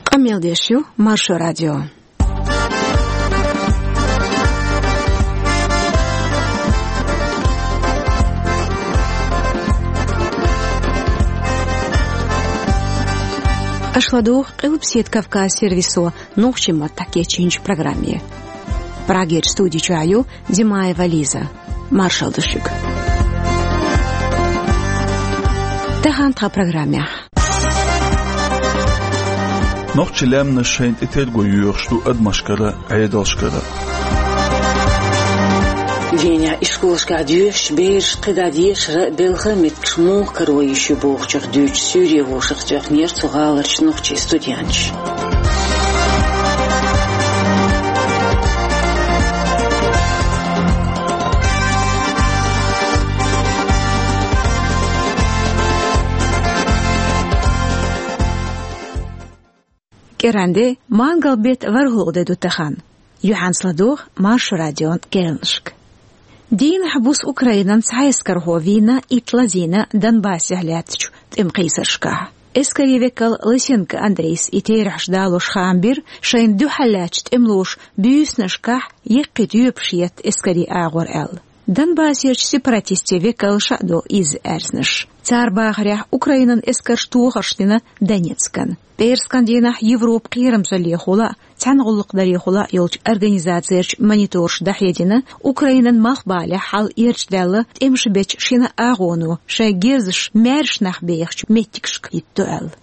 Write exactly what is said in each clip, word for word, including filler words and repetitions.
Къамел деш ю Маршо радио. Аша ладугӀу Къилбаседа Кавказ сервисо нохчийн маттахь кечйинчу программе. Прагерчу студи чохь ю Димаева Лиза. Маршалла ду шуьга. Тахана тхан программехь. Нохчийн лаьмнаш шайна тӀе терго йоьхуш ду адамашкара, Ӏедалшкара. Венехь ишколашкахь доьшучу бераш кхидӀа дешара, белхан меттигаш муха каро йиш ю бохучух дуьйцуш суьйре вовшах тоьхнера цу гӀаларчу нохчийн студенташ. КӀиранде, мангал беттан ворхӀалгӀа де ду тахана. Юьхьанца ладугӀу Маршо радион керланашка. Дийнахь буса Украинан цхьа эскархо вийна итт лазийна Донбассехь лаьттачу тӀеман кхийсаршкахь. Эскарийн векал Лысенко Андрейс и терахьаш далош хаам бира, шайна дуьхьал лаьттачу тӀемалоша буьйсанашкахь яккхий тоьпаш етта эскарийн агӀор аьлла. Донбассерчу сепаратистийн векалша а до иза аьрзнаш. Цара бахарехь, Украинан эскарша тохарш дина Донецкан. ПӀераскан дийнахь Европан кхерамзаллехула а, цхьаьна гӀуллакхдарехула а йолчу организацерчу мониторша дӀахьедина, Украинан малхбалехь хьал эрчадаьлла тӀемаш бечу шина агӀоно шайн герзаш маьрша нах бехачу меттигашка хӀитто аьлла.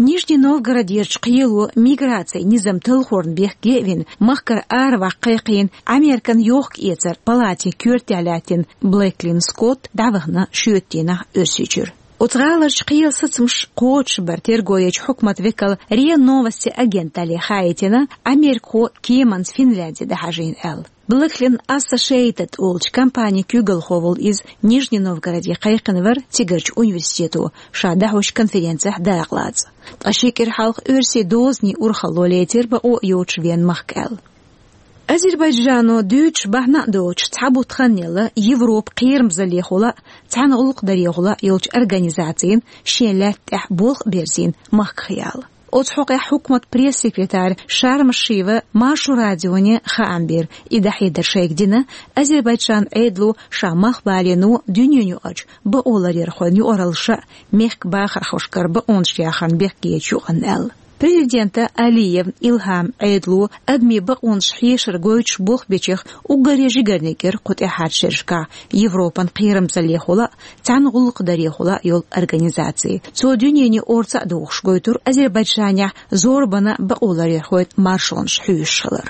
Нижний Новгородерчу кхело миграцин низам талхорна бехке а вина, махкара араваккха кхайкхийна Американ йохка-эцаран палатин коьртехь лаьттина Блэклин Скотт дӀавахана шоьтан дийнахь Оьрсийчуьра. Оцу гӀаларчу кхелан сацамаш кхочушбар терго ечу хьукматан векала РИА Новости агенталле хаийтина, америкахо кеманца Финляндия дӀахьажийна аьлла. Блэклин Ассошиэйтед олучу компанин куьйгалхо волу иза Нижний Новгороде кхайкхина вара цигарчу университето ша дӀахьочу конференцехь дакъалаца. Ткъа ши кӀира хьалха оьрсийн дозанийн урхалло лецира бакъо йоцуш вен махка аьлла. Азербайджано дуьйцуш бахьана а доцуш, цхьа бутт хан елла Европан кхерамзаллехула а, цхьаьна гӀуллакхдарехула а йолчу организацина шен лаьтта тӀехь болх а берзийна махках яла. Оцу хьокъехь хьукматан пресс-секретарь Шармашиева Маршо радионе хаам бира, и дӀахьедар шайга дина, Азербайджанан Ӏедало ша малхбалено дуьненаюкъарчу бакъоларъярхойн юкъараллаша а мехкан бахархошкара бакъонаш яхарна бехкечу юкъанна аьлла. Президента Алиев Илхьаман Ӏедало адамийн бакъонаш хьешар гойтуш болх бечех уггаре жигарниг яра кху тӀаьхьарчу шерашкахь Европан кхерамзаллехула а, цхьаьна гӀуллакхдарехула а йолу организаци. Цо дуьнене орца а дохуш гойтура Азербайджанехь зорбанан бакъоларъярхойн маршонаш хьоьшуш хилар.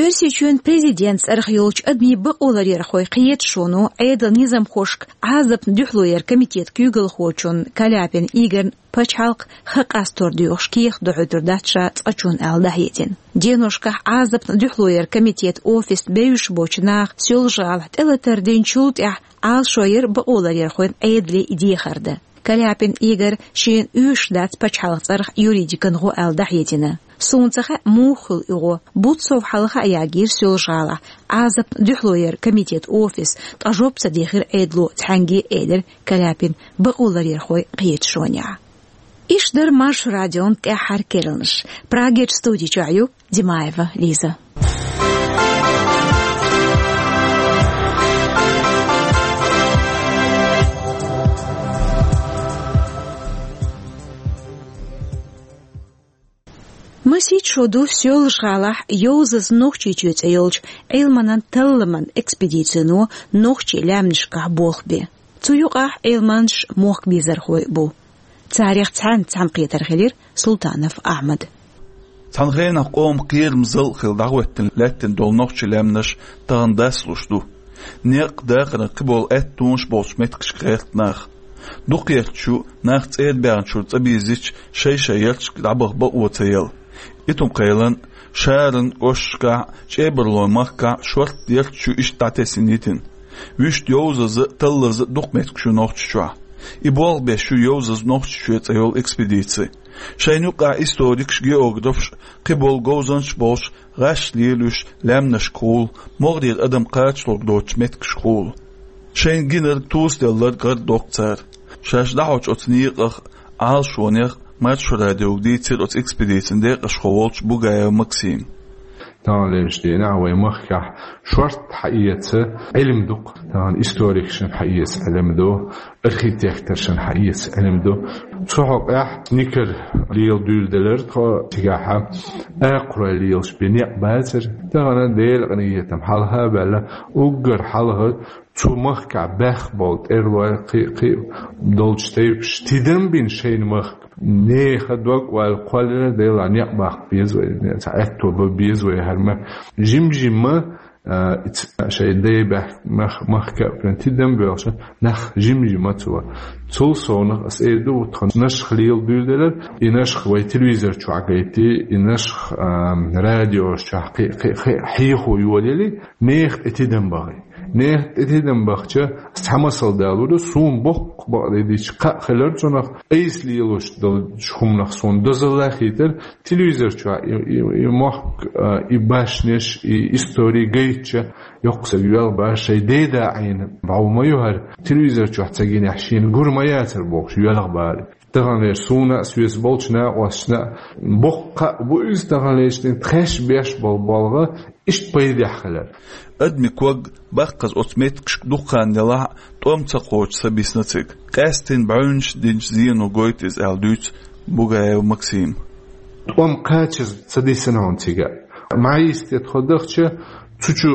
Оьрсийчоьнан президентан цӀарах йолчу адамийн бакъоларъярхойн кхеташоно Ӏедалан низамхошка Ӏазапна дуьхьало яран комитетан куьйгалхочунна Каляпин Игорьна пачхьалкх ха къастор доьхуш кехат дохьуьйтур дац ша цкъачунна аьлла дӀахьедина. Деношкахь Ӏазапна дуьхьало яран комитетан офисна бевзаш боцу наха Соьлжа-ГӀалахь тӀелатар динчул тӀаьхьа Ӏалашо яра бакъоларъярхойн Ӏедале и дехар дан. Каляпин Игорь шена оьшуш дац пачхьалкхан цӀарах юридикан гӀо аьлла дӀахьедина. Суна ца хаьа, муха хуьлу и гӀо. Бутт сов хьалха а ягийра Соьлжа-ГӀалахь Ӏазапна дуьхьало яран комитетан офис, ткъа жоп ца дехира Ӏедало цхьаьнгге а, элира Каляпин бакъоларъярхойн кхеташонехь. Иштта дара Маршо радион тӀаьххьара керланаш. Прагерчу студи чохь ю Димаева Лиза. Масех шо ду Соьлжа-ГӀалахь «Йовзаза Нохчийчоь» цӀе йолчу Ӏилманан талламан экспедицино нохчийн лаьмнашкахь болх бен. Цу юкъахь Ӏилманчаш, мохк безархой а бу. Царех цхьаьнца цхьаьнакхетар хилира Султанов Ахьмада. Цхьана хенахь къоман кхерамзалла хилла дӀахӀоьттина лаьттина долу нохчийн лаьмнаш тахана дасалуш ду. Некъ, дахаран кхиболу аьттонаш болчу меттигашка гӀерта нах. Дукхахберш нах цӀера баьхначуьра цӀа бийзича, шай-шай ярташка дӀабаха бакъо ца елла. Итум-Кхелан, Шаран кӀошташкахь, ЧӀебарлойн махкахь шортта ярташ ю иштта дӀатесна йитина. Вуьшта йовзаза а, таллаза а дукха меттигаш ю Нохчийчохь. И болх беш ю «Йовзаза Нохчийчоь» цӀе йолу экспедици. Шайна юкъахь историкаш, географаш, кхиболу говзанчаш болуш, гӀаш лелош, лаьмнашкахула, могӀарера адам кхачалург доцучу меттигашкахула. Шайна гинарг, тосаделларг гӀар доккху цара. Шаьш дӀахьочу оцу некъах, Ӏалашонех, Маршо радиога дийцира оцу экспедицин декъашхо волчу Бугаев Максима. Таханлерчу дийнахь вай махкахь шорта хьаэца Ӏилма ду-кх. Тахана историкашна хьаэца Ӏилма ду, архитекторшна хьаэца Ӏилма ду. Цу хьокъехь Никара лела дуьйладелира тхо цигахь, акхарой лелаш бен некъ бацара. Тахана Делан къинхетам хьалха а баьлла, уггар хьалха цу махкахь баьхна болу тӀерлой, кхин а, кхин а долчу тайпаш тидам бина шайна махка. Нехан дог а ваьлла кхоллалуш, Делан некъ баккха беза вай, цхьа аьтто бан беза вай хӀара ма. Жим-жимма, а, ица шайн дай баьхна мах-, махка а прям тидам боьлхуш, нах жим-жимма ца вара. Цул совнаха ас эр ду, вот тхан Нашха лела дуьйладелира, и Нашха вай телевизор чохь гайти, и Нашха, а, радиош чохь кхин, кхин, кхин хьехо йолаелли, нехан тӀе тидам бахи. Нехан тӀе тидам бахча, ас цхьа масал далур ду, суна боккха бакъдерг дийцича, кхаъ хилира цунах, айса лелош долчу хӀуманах суна дозалла хийтира, телевизор чохь и, и, и мохк, а, и башнеш, и истори гайтча, йоккха саг йоьлху баш, шайн деда Ӏийна бӀов ма ю хӀара, телевизор чохь ца гинехь шена гур ма яцара бохуш, йоьлху бала. Таханлерчу суна а, соьца болчу накъосташна а боккха кхаъ бу иза, таханлерчу дийнахь тхаьш беш болу болх иштта пайдехь хилар. Адамийн ког баккхаза оцу меттигашка дукха хан делахь а, тӀом ца кхочуш ца бисна цига. Къаьсттина бӀаьвнаш динчу зено гойту иза аьлла дуьйцу Бугаев Максима. ТӀом кхачаза ца дисна хьуна цига. Маьхьа йисте тхо дахча, цу чу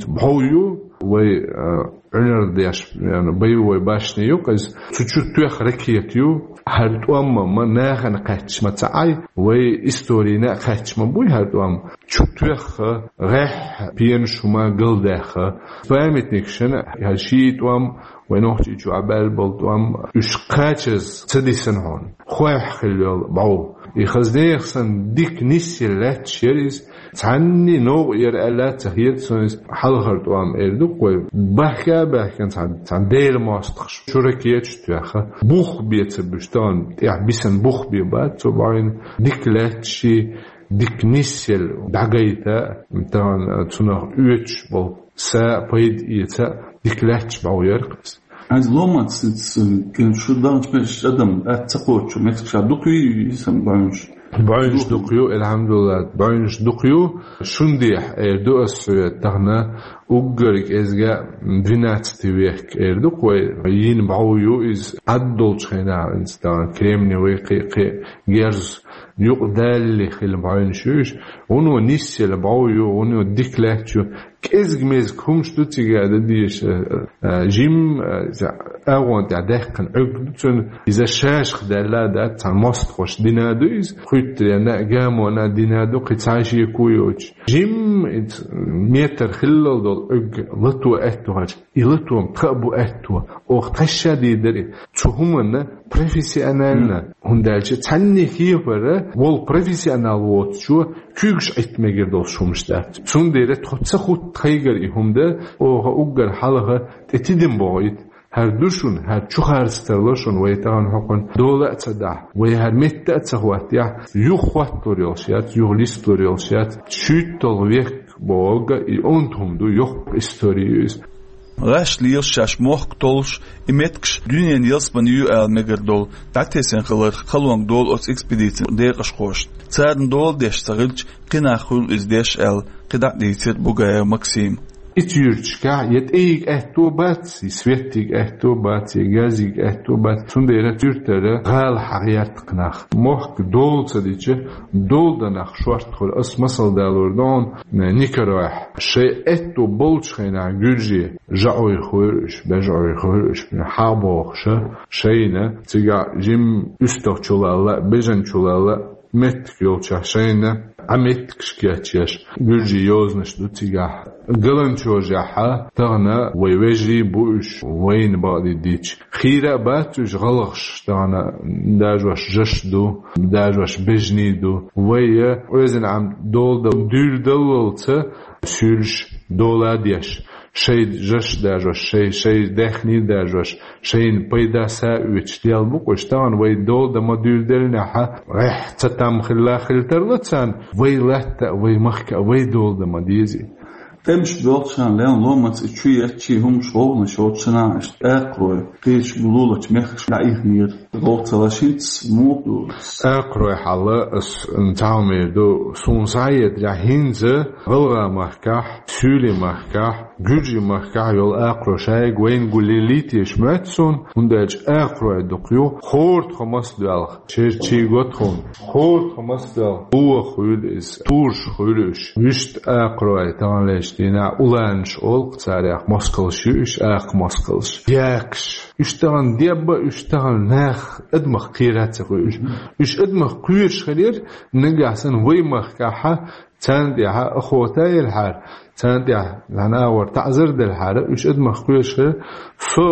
бӀов ю, вай, а, Ӏуьнар деш, яна, боевой башня ю-кх иза. Цу чу тоьхна ракета ю. ХӀара тӀом ма нахана кхаьчча ма ца Ӏай, вай историна а кхаьчча ма буй хӀара тӀом. Чу тоьхна, гӀеххьа, пенаш хӀума галдаьхна. Памятникашна хӀара ши тӀом, вай нохчий чу Ӏа баьлла болу тӀом, уьш кхачаза ца дисна хьуна. Хойхь хилла йолу бӀов. И хаза нехан санна дика нисъелла лаьтташ яра иза. Цхьанний новкъа яра аьлла а ца хета суна иза. Хьалхара тӀом эр ду-кх вай. Баьхка а баьхкина цхьана, цхьана Делан мостагӀаша чу ракеташ тоьхна. Бух бен ца буьсу, тахана тӀехь бисина бух бен бац цу бӀовна. Дика лаьтташ, дика нисъелла дӀагайта, тахана цунах оьцуш болу са а, пайда эца а дика лаьтташ бӀов яра-кх иза. Хьайна ломаца ц-, ц-, кен шу даханчу меттигаш адам атта ца кхочу меттигаш дукха ю, ю сан бӀаьвнаш? БӀаьвнаш дукха ю, алхьамдулиллахӀ, бӀаьвнаш дукха ю. Шуна дехьа эр ду ас хьоьга, тахана уггар кӀезга двенадцатый век эр ду-кх вай, йина бӀов ю иза, Ӏад долчу хенахь иза тахана кремниевый, кхин, кхин герз юкъа далале хилла бӀаьвнаш ю уьш. Вуно нисъелла бӀов ю, вуно дика лаьтташ ю. КӀезиг-мезиг хӀумаш ду цига дан дезаш, а, а, жим, а, агӀон тӀехь даьккхина Ӏуьрг ду цуьнан, иза шашах даьлла а дац, цхьана мостагӀаша дина ду иза, кхуьттаренна а, гамонна а дина ду, кхин цхьа шеко йоцуш. Жим, иза метр хиллал долу Ӏуьрг лато аьтту хьаьжча, и лато-м тхан а бу аьтту, оха тхаьш а дийр дара и. Цу хӀуманна профессионально, хӀунда аьлча цхьанне хепара волу профессионал воцучо куьйгаш Ӏитта мегар долуш хӀумаш дац. Цундела тхо ца хӀутту тхайгара и хӀума дан, оха уггар хьалха тӀе тидам бохуьйту. ХӀара ду шуна, хӀара чу харц тарло шуна, вай тахана хӀокхунна дола а ца дахь, вай хӀара метта а ца хӀоттаяхь, юха хӀотталур йолуш яц, юха листалур йолуш яц, шуьйтталгӀа век бохург и онда хӀума ду, йоккха истори ю иза. ГӀаш лелаш шаьш мохк толлуш, и меттигаш дуьненан ялсамани ю ала мегар долу дӀатесна хиларх халонга долу оцу экспедицин декъашхошна. Царна дола деш ца хилча, кхин нах хуьлу иза деш аьлла, кхидӀа а дийцира Бугаев Максима. Ицу юьрташкахь я тӀейига аьтто бац, я светтига аьтто бац, я газига аьтто бац. Цундела цу юьртара гӀала хьагӀерта-кх нах. Мохк дола ца дича, дола дан нах шорта хуьлу. Ас масал далор ду хьуна, Никаройхь. Шайн аьтто болчу хенахь гуьржий жаӀой хуьйра уьш, бежӀой хуьйра уьш, хьагӀ бохуша, шайна, цигахь жим уьстагӀ чулалла, бежан чулалла, меттиг йолчохь шайна Ӏа меттигаш кечъеш, гуьржийн йозанаш ду цигахь. Галанчожехьа, тахана вай вежарий бу уьш, вайна бакъдийр дича. Хийра а бац уьш гӀалгӀаш, тахана дажош жаш ду, дажош бежний ду. Вай я, оьзан Ӏам дола дан дуьйладаллалца, суьйлуш дола а деш. Шайн жаш дажош, шайн, шайн даьхний дажош, шайна пайда са а оьцуш дел бу-кх уьш. Тахана вай дола дан ма дуьйладеллинехьа, гӀеххьа ца там хилла хила тарло царна, вай латта а, вай махка а, вай дола дан ма дезий. ТӀемаш боьлхучу хенахь лелла ломаца и чу етташ хӀуманаш, гӀовгӀанаш йоцучу хенахь, иштта акхарой кхечу лулахь мехкашка дӀаихнера. ГӀовгӀа ца лаш хӀинца муха ду? Акхарой хьал ас цхьа хӀума эр ду, суна схьахетарехь, хӀинца ГӀалгӀай махкахь, Суьйлийн махкахь, Гуьржийн махкахь йолу акхарой шайга вайна гулъеллий теша моьтту суна, хӀунда аьлча акхарой дукха ю, хӀора тхо маса доьлху, шерчий го тхуна, хӀора тхо маса доьлху, боху хуьлу иза, тураш хуьлу уьш. Вуьшта акхарой таханлерчу дийнахь уланаш олу-кх царех, москалш ю уьш, акха москалш, якаш. Уьш тахана дебба, уьш тахана нах адамах кхера ца хуьлу уьш. Уьш адамах кхоьруш хилира, нагахь санна вай махкахь царна тӀехь охота елхьара, царна тӀехь лахьана агӀор таӀзар делхьара, уьш адамах кхоьруш хилира. Со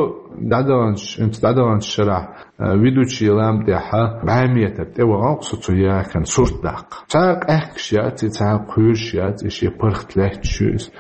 дӀадаханчу, хӀинца дӀадаханчу шарахь, а, ведучий лам тӀехь бӀе метр тӀе вахана-кх со цу якана сурт даккха. Цхьа къаьхкаш яц и, цхьа кхоьруш яц и, шен паргӀат лаьтташ ю иза.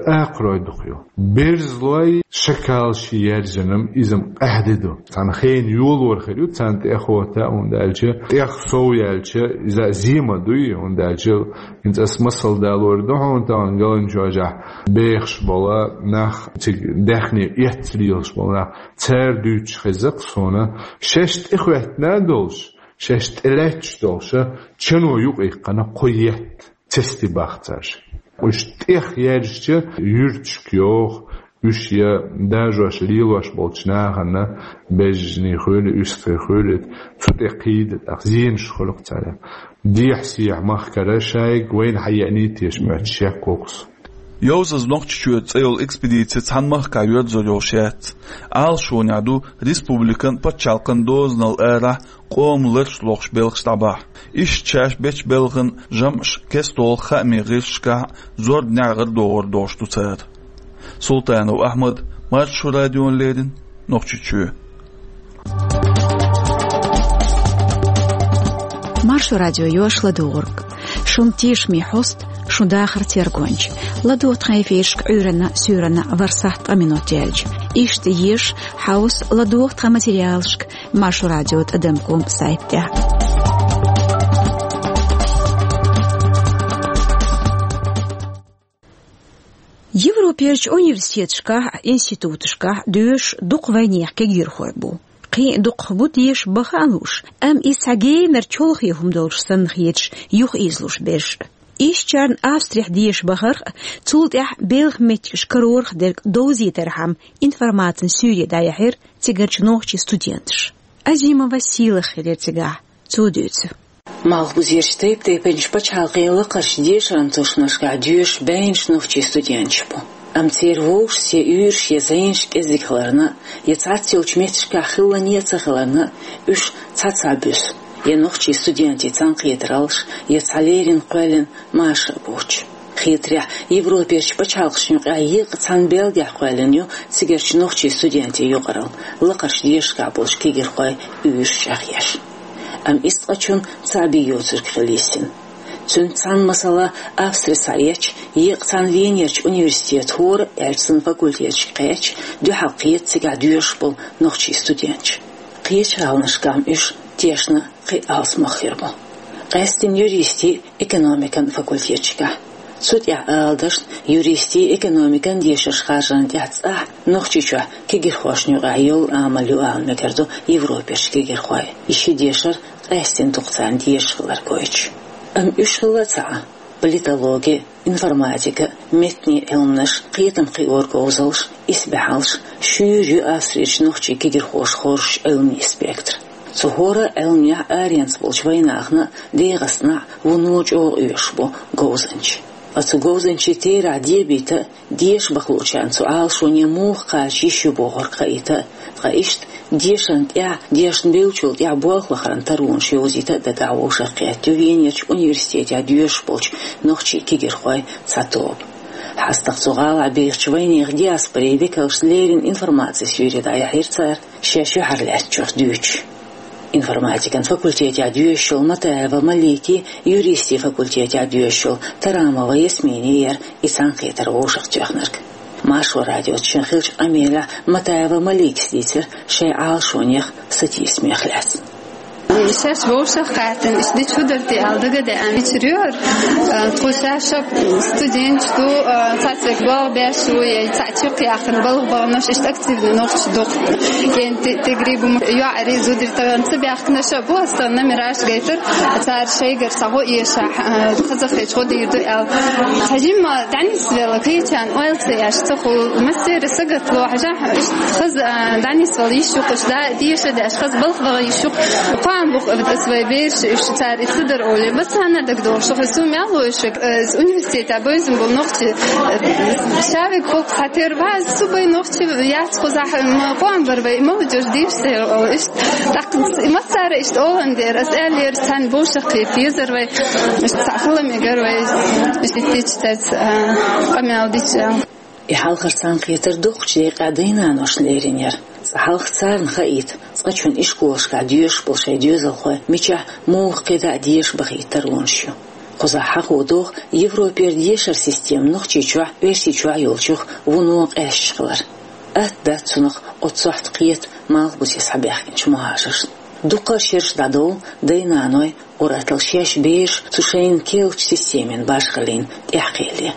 Акхарой дукха ю. Берзалой, шакалший яьржина-м иза-м къаьхьа де ду. Цхьана хенан йолор хир ю царна тӀе охота, хӀунда аьлча тӀех сов яьлча, иза зема дуй, хӀунда аьлча хӀинца ас масал далор ду хьуна тахана Галанчожахь бехаш болу нах, цига даьхни эцна лелаш болу нах, цара дуьйцуш хеза-кх суна, шаьш тӀехӀоьттина долуш, шаьш тӀелаьтташ долуш, чано юкъаиккхина кхо етт. Цести бахцарш. Уьш тӀех яьржича, юьрташка йоху, уьш я дажош лелош болчу нахана, бежжаний хуьлу, уьстагӀий хуьлу, цу тӀе кхийда, тӀаккха зенаш хуьлу-кх цара. Дехьа-сехьа махкара шайга вайна хьаеъний теша моьтту шек вокус. «Йовзаза Нохчийчоь» цӀе йолу экспедици цхьана махкахь йоьрзур йолуш яц. Ӏалашонехь ду республикан, пачхьалкхан дозанал арахь къоман ларш лохуш белхаш дӀабахьа. Иштта шаьш бечу белхан жамӀаш кестта долу хаамийн гӀирсашкахь зорбанехь гӀарадогӀур долуш ду цара. Султанов Ахьмад, Маршо радиона леррина, Нохчийчоь. Маршо радио йоьшу ладугӀург. Шун тешаме хьоста, шун дахаран тергонча. ЛадогӀа тхан эфирашка Ӏуьйранна, суьйранна ворхӀ сахьт ткъа минот яьлча. Иштта еша, хьовса, ладогӀа тхан материалашка Маршо радио тӀадам ком сайтехь. Европерчу университеташкахь а, институташкахь а доьшуш дукха вайнехан кегийрхой бу. Кхин а дукхах бу деша бан хаа лууш, амма иза цхьа генара чолхе хӀума долуш санна хеташ юхаийзалуш берш а. Ишттачарна Австрехь деша бахарх а, цул тӀаьхьа белхан меттигаш карорах дерг довзийтархьама информацин суьйре дӀаяьхьира цигарчу нохчийн студенташа. Азимова Сийлаха хилира цигахь, цо дуьйцу. Малхбузерчу тайп-тайпанчу пачхьалкхийн лакхарчу дешаран тушманашкахь доьшу бӀеннаш нохчийн студенташ бу. Амма церан вовшашца я уьйраш, я зӀенаш кӀезиг хиларна, я цхьацца йолчу меттигашкахь хилла а ца хиларна, уьш цхьацца буьсу, я нохчийн студентийн цхьаьнакхетараллаш, я цхьа леррина кхоьллина маша а боцуш. Хетарехь, Европерчу пачхьалкхашна юкъахь еккъа цхьана белхехь кхоьллина ю цигарчу нохчийн студентийн юкъаралла, лакхарчу дешаршкахь болчу кегийрхойн уьйраш чӀагӀъеш. Амма иза ткъачунна цхьаъ бен йоцург хила йисина. Цуьнца цхьаьна масала Австри схьаэцча, еккъа цхьана Венерчу университетан хӀора а аьлча санна факультеташка кхаьчча, дуьхьал кхета цигахь доьшуш болу нохчийн студенташ. Кхечу гӀаланашкахь-м уьш тешна кхин а алсамох хир бу. Къаьсттина юристийн, экономикан факультеташкахь. Цу тӀехь, ала дашна, юристийн, экономикан дешарш харжарна тӀехь цӀахь Нохчийчохь кегийрхошна юкъахь йолу амал ю ала мегар ду Европерчу кегийрхойн, и ши дешар къаьсттина дукха царна дезаш хилар гойтуш. Амма уьш хилла а ца Ӏа, политологи, информатика, меттанийн Ӏилманаш, кхетам кхиоран говзаллаш, исбаьхьаллаш, шуьйра ю Австрерчу нохчийн кегийрхоша хоржуш Ӏилманийн спектр. Цу хӀора а Ӏилманехь аренца болчу вайнахана а, ДегӀастанахь а вуно чӀогӀа оьшуш бу говзанчий. Ткъа цу говзанчийн терахь дебийта а, деша бакъ луучарна цу Ӏалашоне муха кхача йиш ю бохург хаийта а, ткъа иштта дешарна тӀехь, дешна бевллачул тӀехь болх лахаран таронаш йовзийта а дагахь вовшахкхетта ю Венерчу университетехь доьшуш болчу нохчийн кегийрхойн цхьа тоба. ХьастагӀа цу гӀалахь бехачу вайнехан диаспорин векалшна леррина информацин суьйре дӀаяьхьира цара, шаьш юьхьарлаьцначух дуьйцуш. Информатикан факультетехь доьшуш йолу Матаева Маликий, юристийн факультетехь доьшуш йолу Тарамова Ясминий яра и цхьаьнакхетар вовшахтоьхнарг. Маршо радиоца шен хиллачу къамелехь Матаева Маликас дийцира шайн Ӏалашонех, сатийсамех лаьцна. Шаьш вовшах кхаьттина, иштта дича хӀу дар те аьлла дагадеана, ича рёр, а, тхо шаьш студенташ ду, а, цхьацца век балха беш ву, я цхьаъ чакхъяьккхина балха баханаш, иштта активни нохчий дукха. Кен те-, тегри бу ма-, йоӀари, зудари тахана ца баьхкинарш а бу, аса тахана номераш гайтар, цар шайгара сагӀо эшахь, а, хазахеташ гӀо дийр ду аьлла. Хьажимма дӀанисвелла, кхечарна ойла ца еш, ца хул, мастере сагатву, хьажахь, иштта хаза, а, дӀанисвелла йиш ю-кх, иштта да-, деша деш, хаза балха ваха йиш ю-кх. Кхоана бу-кх ас вай бераш, уьш цар и ца дар оле. Бас хьанна дагадогӀуш, хӀа, су мел луйшиг, э, с-, университета бевзам бу нохчи, э, шавиг хӀокху хьатер ваз, су бай нохчи яц хузахь, м, кхоана бар вай, молодёжь дийш сер, о, иштта. ТӀаккха и массара иштта олан дер, ас аьллера, цхьаьна бовшах кхета езар вай, иштта цхьа хала мегар вай, иштта тича цаьц, а, къамел дича. И хьалхара цхьаьнакхетар дукхачу декъехь дай-наношна лерина яра. Цкъа хьалха царна хаийта, цкъачунна ишколашкахь доьшуш болу шайн доьзалхой мичахь муха кхидӀа а деша бахийта тарлонаш ю. Кхузахь хьахо догӀу Европера дешаран система Нохчийчохь, Оьрсийчохь йолчух вуно къаьсташ хилар. Атта дац цунах оццу сохьта кхета Малхбузе схьабаьхкинчу мухӀажаршна. Дукха шераш дӀадовлу дай-наной, ур-атталла шаьш бераш цу шайна керлачу системин башхаллина тӀаьхьакхиале.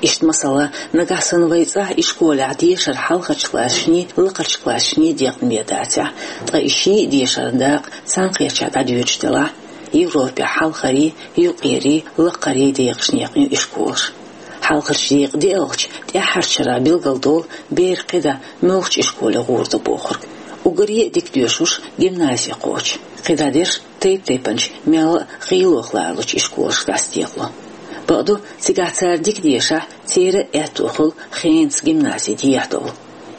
Иштта масала, нагахь санна вай цӀахь ишколехь дешар хьалхарчу классашний, лакхарчу классашний декъна бен дацахь, ткъа и ший а дешаран дакъа цхьаьнакхерчахь дӀадоьдуш делахь, Европехь хьалхарий, юккъерий, лакхарий декъашна екъна ю ишколаш. Хьалхарчу декъа деалгӀачу тӀаьххьарчу шарахь билгалдолу бер кхидӀа муьлхачу ишколе гӀур ду бохург. Уггаре а дика доьшурш гимназе кхочу. КхидӀа дерш тайп-тайпанчу мелла а гӀийлох ларалучу ишколашка дӀасадекъало. Бакъду, цигахь цара дика дешахь, церан а аьтто хуьлу хенца гимнази дехьадовла.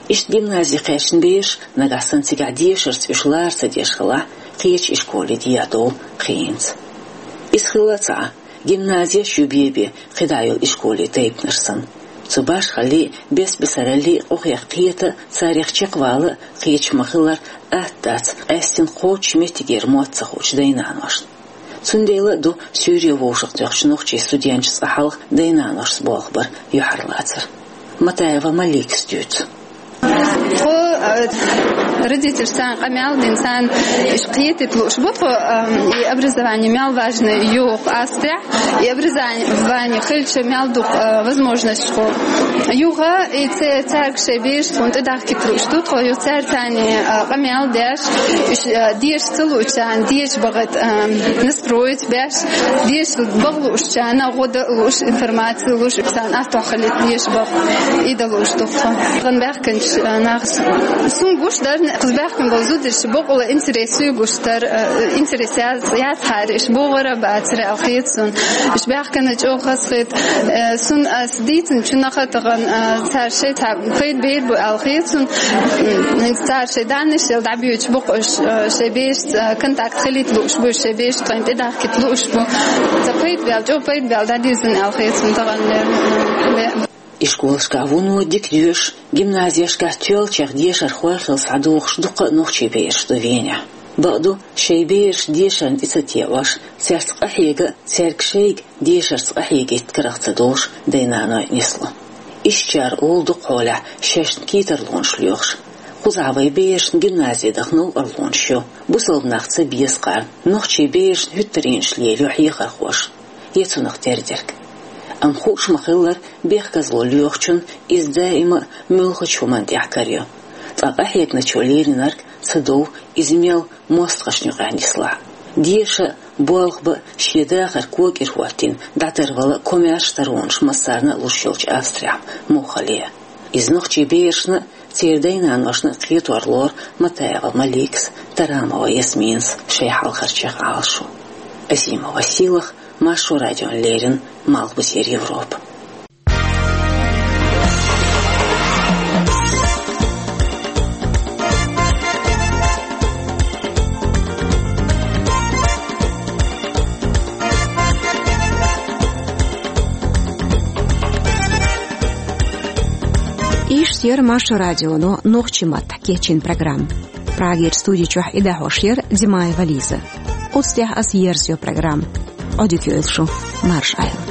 Иштта гимнази кхаьчна бераш, нагахь санна цигахь дешарца уьш лара ца деш хилахь, кхечу ишколе дехьадовла хенца. Иза хилла а ца Ӏа, гимназеш ю бен-бен кхидӀа йолу ишколе тайпанаш санна. Цу башхаллий, бес-бесараллий къохех кхета а, царех чекхвала а кхеташ ма-хиллара, атта дац къаьстина кхоччуш меттигера мотт ца хуучу дай-наношна. Цундела а ду суьйре вовшахтоьхначу нохчийн студенташа цкъа хьалха дай-наношца болх бар юьхьарлацар. Матаева Маликас дуьйцу. Тхо, э, родительш царна къамел дина, царна уьш кхетийта лууш бу тхо, э, и образование мел важное ю-кх Австрехь, и образование хилча мел ду-кх, э, возможностьш тхо. Юха и ца-, цаьрга шайн бераш тхуна тӀедахкийта лууш ду тхо, юха цара царна, э, къамел деш, уьш, э, деша ца луучарна деша бахийта, э, настроить беш, деша баха луучарна гӀо дан лууш, информаци луш, царна аттохь хилийта деша баха, и дан лууш ду тхо. Тхан баьхкинчу, э, нах. Сун гуш дар, кхуза баьхкина болу зударш бакъала интерес ю гуш дар, э, интерес яц, яц хьара, уьш богӀур а бацара аьлла хета сун. Уьш баьхкина чӀогӀа хазахета, э, сун ас дийцинчу наха тахана, э, цара шайн цхьа пайда бер бу аьлла хета сун. М, цара шайн даннаш ял дӀабоьдуш бу-кх уьш, э, шайн бераш, э, контакт хилийта лууш бу, шайн бераш тхайна тӀедахкийта лууш бу. Ца пайда бел, чӀогӀа пайда бел дӀадирзина аьлла хета сун тахана, э, бе. Ишколашкахь вуно дика доьшуш, гимназешкахь тоьллачех дешархой хилла схьадогӀуш дуккха а нохчийн бераш ду Венехь. Бакъду, шайн бераш дешарна тӀе ца теӀош, цаьрца къахьега а, цаьрга шайга дешарца къахьегийта карах ца долуш дай-наной нисло. Ишттачара олу дукхахьолехь шайна кхетарлонаш лоьхуш. Кхузахь вайн берашна гимназе даха новкъарлонаш ю, бусалба нах ца беза кхарна, нохчийн берашна хӀуьттаренаш лелайо хьехархоша, я цунах тера дерг. Амма хууш ма-хиллара, бехказло лоьхучунна иза даима а муьлххачу хӀуманна тӀехь карайо. Ткъа къахьегначо лелийнарг ца дов, иза мел мостагӀашна юкъахь нислахь. Деша а, болх бан а шен дахар кога тӀера хӀоттийна дӀатарвала а комаьрша таронаш массарна а луш йолчу Австрехь муха хилла. Иза нохчийн берашна а, церан дай-наношна а кхетор лору Матаева Маликас, Тарамова Ясминас шайн хьалхарчех Ӏалашо. Азимова Сийлаха, Маршо радиона леррина, Малхбузера Европа. Иштта яра Маршо радионо нохчийн маттахь кечйина программа. Прагерчу студи чохь и дӀахьош яра Димаева Лиза. Оцу тӀехь ас ерзайо программа. Ӏодика йойла шу, марша Ӏойла.